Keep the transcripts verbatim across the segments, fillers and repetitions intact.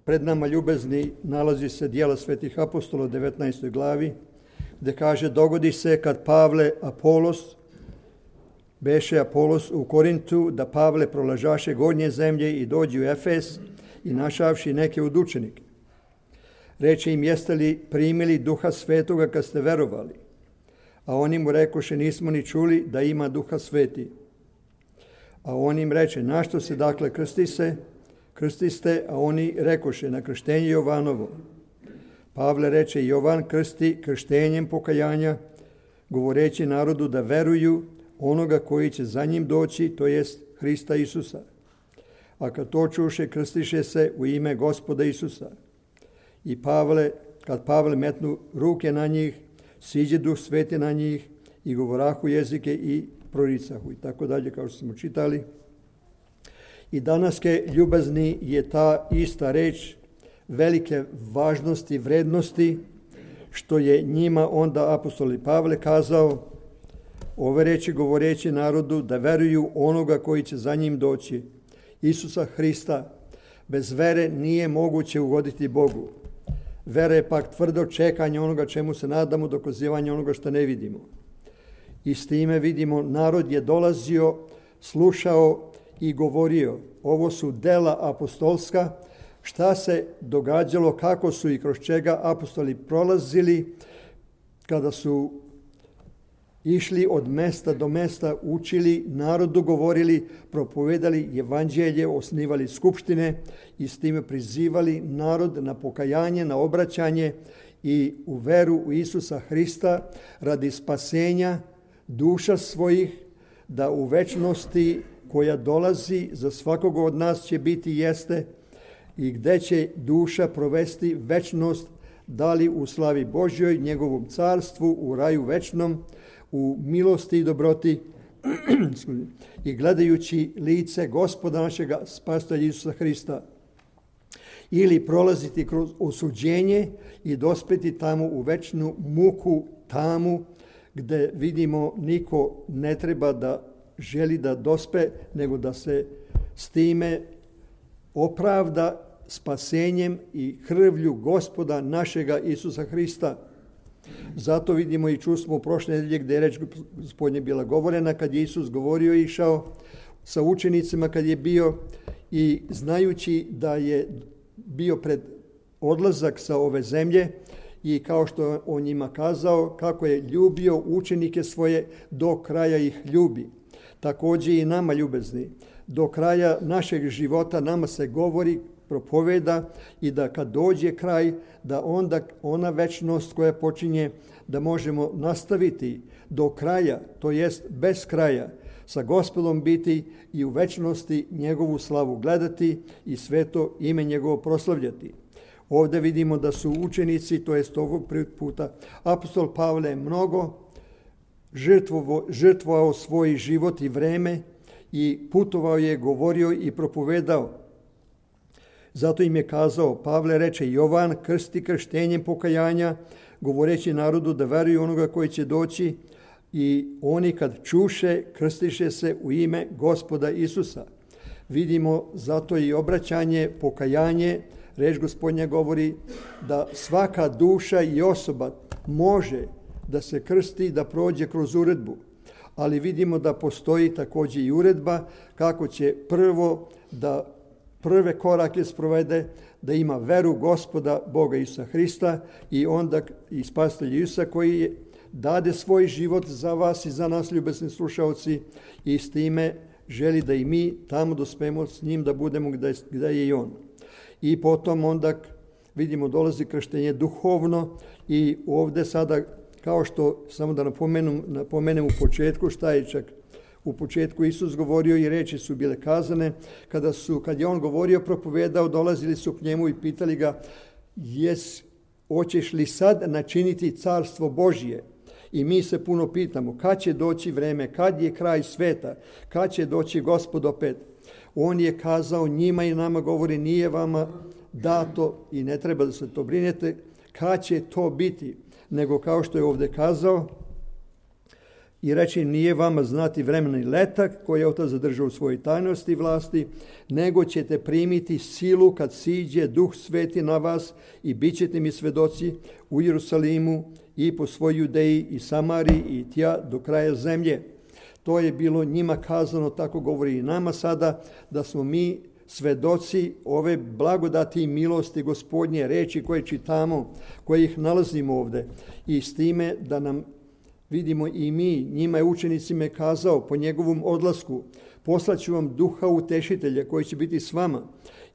pred nama ljubezni nalazi se Djela svetih apostola u devetnaestoj glavi, gdje kaže: dogodi se kad Pavle Apolos, beše Apolos u Korintu, da Pavle prolažaše gornje zemlje i dođe u Efes i našavši neke od učenike. Reče im: jeste li primili Duha Svetoga kad ste verovali? A oni mu rekoše: nismo ni čuli da ima Duha Sveti. A on im reče: našto se dakle krsti se? Krstiste, a oni rekoše: na krštenje Jovanovo. Pavle reče: Jovan krsti krštenjem pokajanja, govoreći narodu da veruju onoga koji će za njim doći, to jest Hrista Isusa. A kad to čuše, krstiše se u ime Gospoda Isusa. I Pavle, kad Pavle metnu ruke na njih, siđe Duh Sveti na njih i govorahu jezike i proricahu. I tako dalje, kao što smo čitali. I danaske ljubazni je ta ista reč velike važnosti i vrednosti, što je njima onda apostol Pavle kazao, ove reči govoreći narodu da veruju onoga koji će za njim doći, Isusa Hrista. Bez vere nije moguće ugoditi Bogu. Vera je pak tvrdo čekanje onoga čemu se nadamo, dokazivanje onoga što ne vidimo. I s time vidimo, narod je dolazio, slušao i govorio. Ovo su dela apostolska, šta se događalo, kako su i kroz čega apostoli prolazili kada su išli od mesta do mesta, učili, narodu govorili, propovedali evanđelje, osnivali skupštine i s time prizivali narod na pokajanje, na obraćanje i u veru u Isusa Hrista radi spasenja duša svojih, da u večnosti koja dolazi za svakog od nas će biti jeste i gdje će duša provesti večnost, da li u slavi Božjoj, njegovom carstvu, u raju večnom, u milosti i dobroti i gledajući lice Gospoda našega spasitelja Isusa Hrista, ili prolaziti kroz osuđenje i dospeti tamo u večnu muku tamu, gdje vidimo niko ne treba da želi da dospe, nego da se s time opravda spasenjem i krvlju Gospoda našega Isusa Hrista. Zato vidimo i čusmo u prošle nedelje gdje je reč Gospodnje bila govorena, kad je Isus govorio i išao sa učenicima, kad je bio i znajući da je bio pred odlazak sa ove zemlje i kao što je on njima kazao, kako je ljubio učenike svoje, do kraja ih ljubi. Također i nama ljubezni. Do kraja našeg života nama se govori, propoveda i da kad dođe kraj, da onda ona večnost koja počinje, da možemo nastaviti do kraja, to jest bez kraja, sa Gospodom biti i u večnosti njegovu slavu gledati i sveto ime njegovo proslavljati. Ovdje vidimo da su učenici, to jest ovog puta, apostol Pavle mnogo žrtvovo, žrtvovao svoj život i vreme i putovao je, govorio i propovedao. Zato im je kazao, Pavle reče, Jovan krsti krštenjem pokajanja, govoreći narodu da veruju onoga koji će doći, i oni kad čuše, krstiše se u ime Gospoda Isusa. Vidimo zato i obraćanje, pokajanje, reč Gospodnja govori da svaka duša i osoba može da se krsti, da prođe kroz uredbu. Ali vidimo da postoji također i uredba kako će prvo da prve korake sprovede, da ima veru Gospoda Boga Isusa Hrista i onda i spasitelja Isusa koji je dade svoj život za vas i za nas, ljubesni slušalci, i s time želi da i mi tamo dospemo s njim, da budemo gdje, gdje je i on. I potom onda vidimo dolazi krštenje duhovno i ovdje sada, kao što, samo da napomenem, napomenem u početku šta je čak u početku Isus govorio i reči su bile kazane, kada su, kad je on govorio, propovedao, dolazili su k njemu i pitali ga, jes, hoćeš li sad načiniti carstvo Božje? I mi se puno pitamo, kad će doći vreme, kad je kraj sveta, kad će doći Gospod opet? On je kazao njima i nama govori, nije vama dato i ne treba da se to brinete, kad će to biti, nego kao što je ovdje kazao, i reći nije vama znati vremena i letak koje je Otac zadržao u svojoj tajnosti i vlasti, nego ćete primiti silu kad siđe Duh Sveti na vas i bit ćete mi svedoci u Jerusalimu i po svoj Judeji i Samariji i tja do kraja zemlje. To je bilo njima kazano, tako govori i nama sada, da smo mi svedoci ove blagodati i milosti Gospodnje, reči koje čitamo, koje ih nalazimo ovde. I s time da nam vidimo i mi, njima je učenicima kazao po njegovom odlasku, poslaću vam Duha Utešitelja koji će biti s vama.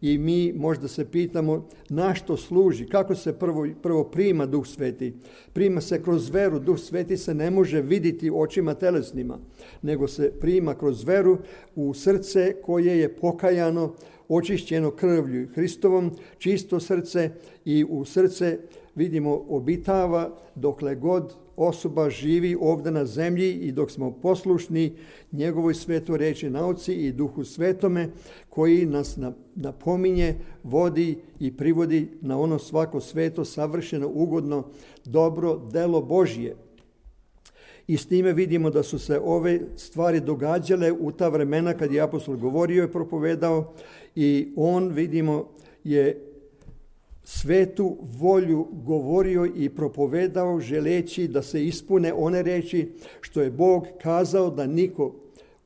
I mi možda se pitamo na što služi, kako se prvo, prvo prima Duh Sveti. Prima se kroz veru, Duh Sveti se ne može vidjeti očima telesnima, nego se prima kroz veru u srce koje je pokajano, očišćeno krvlju Hristovom, čisto srce i u srce vidimo obitava dokle god osoba živi ovdje na zemlji i dok smo poslušni njegovoj svetoj reči nauci i Duhu Svetome koji nas napominje, vodi i privodi na ono svako sveto, savršeno, ugodno, dobro delo Božje. I s time vidimo da su se ove stvari događale u ta vremena kad je apostol govorio i propovedao i on, vidimo, je svetu volju govorio i propovedao želeći da se ispune one reči što je Bog kazao da niko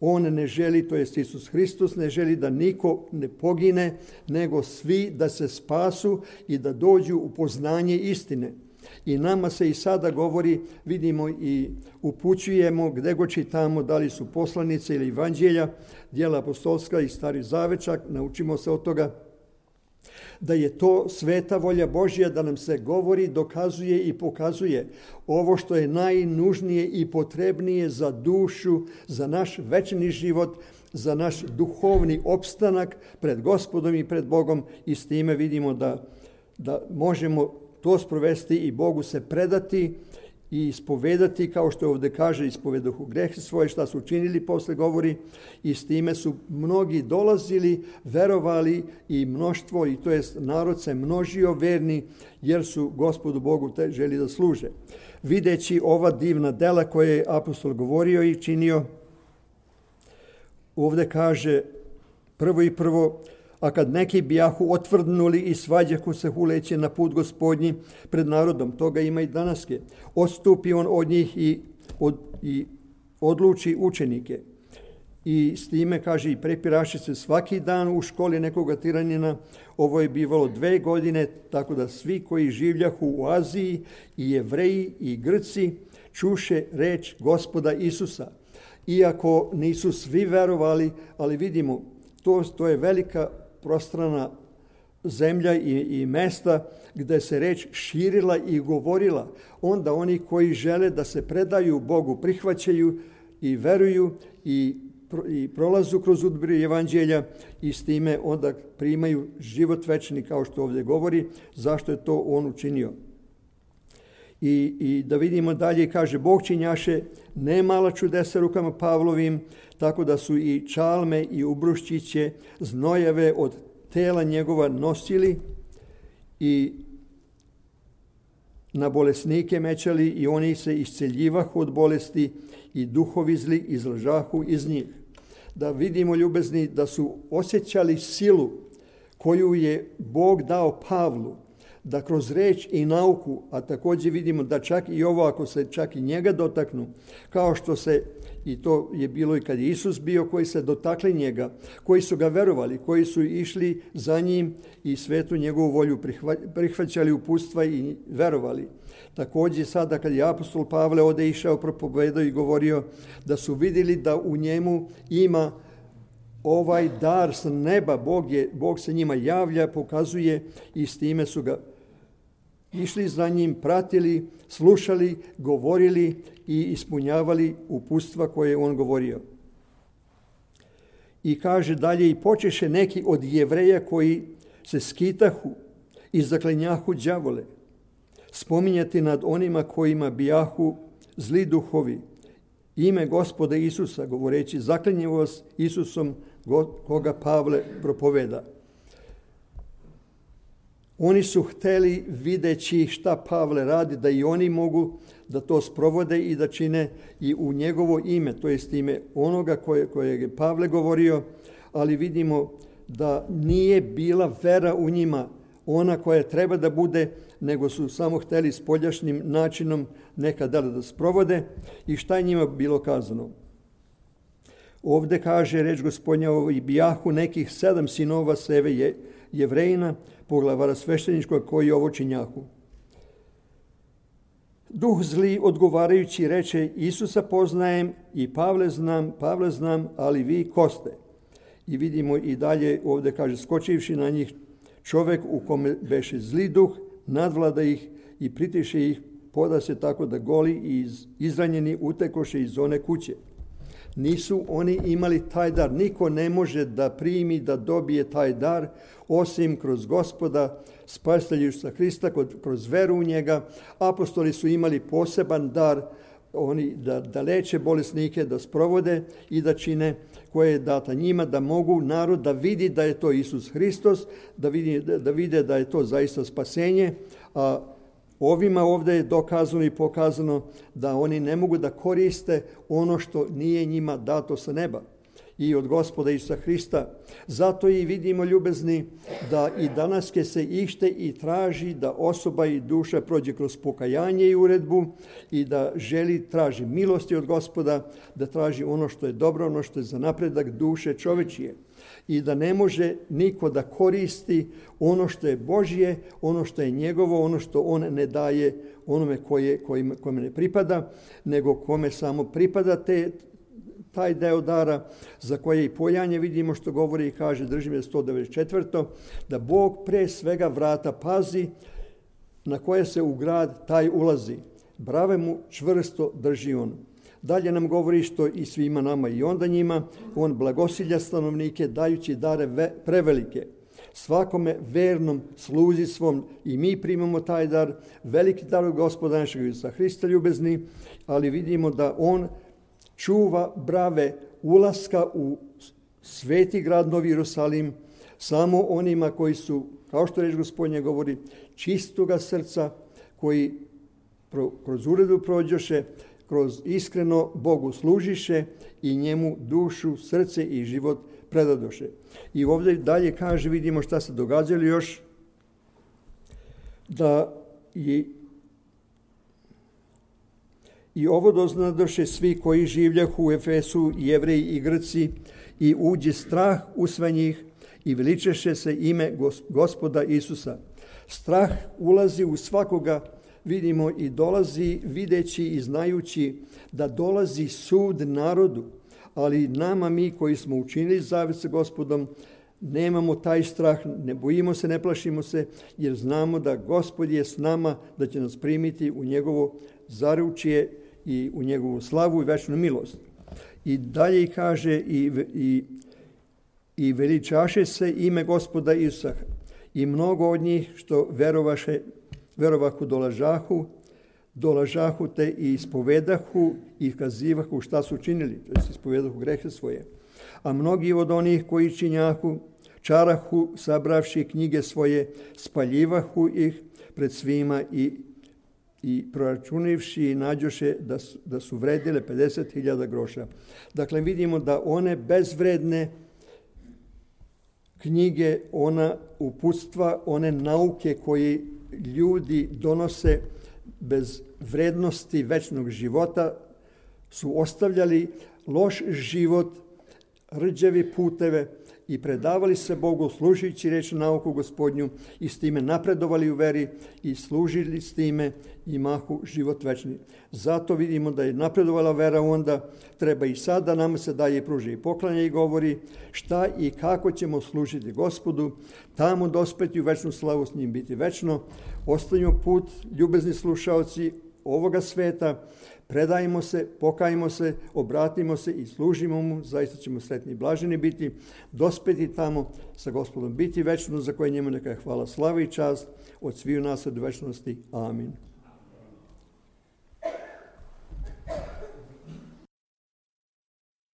on ne želi, to jest Isus Hristos ne želi da niko ne pogine, nego svi da se spasu i da dođu u poznanje istine. I nama se i sada govori, vidimo i upućujemo gdje god čitamo, da li su poslanice ili evanđelja, djela apostolska i Stari Zavečak, naučimo se od toga da je to sveta volja Božja, da nam se govori, dokazuje i pokazuje ovo što je najnužnije i potrebnije za dušu, za naš večni život, za naš duhovni opstanak pred Gospodom i pred Bogom i s time vidimo da, da možemo to sprovesti i Bogu se predati i ispovedati, kao što ovdje kaže, ispovedahu grehe svoje, šta su učinili, posle govori, i s time su mnogi dolazili, verovali i mnoštvo, i to jest narod se množio verni, jer su Gospodu Bogu te želi da služe. Videći ova divna dela koje je apostol govorio i činio, ovdje kaže prvo i prvo, a kad neki bijahu otvrdnuli i svađahu se huleće na put Gospodnji pred narodom, toga ima i danaske, odstupi on od njih i, od, i odluči učenike. I s time, kaže, i prepiraše se svaki dan u školi nekoga tiranina. Ovo je bivalo dve godine, tako da svi koji življahu u Aziji, i Jevreji i Grci, čuše reč Gospoda Isusa. Iako nisu svi verovali, ali vidimo, to, to je velika prostrana zemlja i, i mesta gdje se reč širila i govorila. Onda oni koji žele da se predaju Bogu prihvaćaju i veruju i, i prolazu kroz udbir evanđelja i s time onda primaju život večni, kao što ovdje govori, zašto je to on učinio. I, i da vidimo dalje, kaže, Bog činjaše ne mala čudesa rukama Pavlovim, tako da su i čalme i ubruščiće znojeve od tela njegova nosili i na bolesnike mećali i oni se isceljivahu od bolesti i duhovi zli izlažahu iz njih. Da vidimo, ljubezni, da su osjećali silu koju je Bog dao Pavlu, da kroz reč i nauku, a također vidimo da čak i ovo, ako se čak i njega dotaknu, kao što se, i to je bilo i kad je Isus bio, koji se dotakli njega, koji su ga verovali, koji su išli za njim i svetu njegovu volju prihvaćali uputstva i verovali. Također sada kad je apostol Pavle ode išao, propovedao i govorio da su vidjeli da u njemu ima ovaj dar s neba, Bog, je, Bog se njima javlja, pokazuje i s time su ga išli za njim, pratili, slušali, govorili i ispunjavali uputstva koje je on govorio. I kaže dalje, i počeše neki od Jevreja koji se skitahu i zaklenjahu đavole, spominjati nad onima kojima bijahu zli duhovi, ime Gospoda Isusa, govoreći, zaklinjem vas Isusom, koga Pavle propoveda. Oni su hteli, videći šta Pavle radi, da i oni mogu da to sprovode i da čine i u njegovo ime, to jest ime onoga koje, koje je Pavle govorio, ali vidimo da nije bila vera u njima ona koja treba da bude, nego su samo hteli spoljašnjim načinom neka dela da sprovode. I šta je njima bilo kazano? Ovde kaže reč Gospodnja, i bijahu nekih sedam sinova Seve je, Jevrejina, poglavara svešteničkog, koji ovo činjahu. Duh zli odgovarajući reče, Isusa poznajem i Pavle znam, Pavle znam, ali vi ko ste? I vidimo i dalje ovde kaže, skočivši na njih, čovek u kome beše zli duh, nadvlada ih i pritiše ih, poda se tako da goli i izranjeni utekoše iz one kuće. Nisu oni imali taj dar. Niko ne može da primi, da dobije taj dar, osim kroz Gospoda, Spasitelja Isusa Hrista, kroz veru u njega. Apostoli su imali poseban dar, oni da, da leče bolesnike, da sprovode i da čine koje je data njima, da mogu narod da vidi da je to Isus Hristos, da, vidi, da vide da je to zaista spasenje. A ovima ovdje je dokazano i pokazano da oni ne mogu da koriste ono što nije njima dato sa neba i od Gospoda Isusa Hrista. Zato i vidimo, ljubezni, da i danas ke se ište i traži da osoba i duša prođe kroz pokajanje i uredbu i da želi, traži milosti od Gospoda, da traži ono što je dobro, ono što je za napredak duše čovečije. I da ne može niko da koristi ono što je Božje, ono što je njegovo, ono što on ne daje onome koje, kojim, kome ne pripada, nego kome samo pripada te, taj deo dara, za koje i pojanje vidimo što govori i kaže, držim je sto devedeset četvrto da Bog pre svega vrata pazi na koje se u grad taj ulazi. Brave mu čvrsto drži on. Dalje nam govori što i svima nama i onda njima, on blagosilja stanovnike dajući dare ve, prevelike. Svakome vernom sluzi svom i mi primamo taj dar, veliki dar od Gospoda našeg Isusa Hrista, ljubezni, ali vidimo da on čuva brave ulaska u sveti grad Novi Jerusalim samo onima koji su, kao što reč Gospodnje govori, čistoga srca, koji pro, kroz uredu prođoše, kroz iskreno Bogu služiše i njemu dušu, srce i život predadoše. I ovdje dalje kaže, vidimo šta se događalo još, da je i ovo doznadoše svi koji življahu u Efesu, Jevreji i Grci, i uđe strah u sve njih i veličeše se ime Gospoda Isusa. Strah ulazi u svakoga, vidimo, i dolazi videći i znajući da dolazi sud narodu, ali nama, mi koji smo učinili zavet sa Gospodom, nemamo taj strah, ne bojimo se, ne plašimo se, jer znamo da Gospod je s nama, da će nas primiti u njegovo zaručje i u njegovu slavu i večnu milost. I dalje kaže i, i, i veličaše se ime Gospoda Isusa, i mnogo od njih što verovaše, verovahu dolažahu, dolažahu te i ispovedahu i kazivahu šta su činili, to jest ispovedahu grehe svoje. A mnogi od onih koji činjahu, čarahu, sabravši knjige svoje, spaljivahu ih pred svima i, i proračunivši i nađoše da su, da su vredile pedeset hiljada groša. Dakle, vidimo da one bezvredne knjige, ona uputstva, one nauke koje ljudi donose bez vrednosti večnog života, su ostavljali loš život, rđavi puteve i predavali se Bogu, služujući reč nauku Gospodnju, i s time napredovali u veri i služili s time i mahu život večni. Zato vidimo da je napredovala vera, onda treba i sada nama se daje i pruži i poklanja i govori šta i kako ćemo služiti Gospodu, tamo dospeti u večnu slavu, s njim biti večno. Ostavimo put, ljubezni slušaoci ovoga sveta, predajmo se, pokajmo se, obratimo se i služimo mu, zaista ćemo sretni i blaženi biti, dospeti tamo sa Gospodom, biti večno, za koje njemu neka je hvala, slava i čast od sviju nas od večnosti. Amin.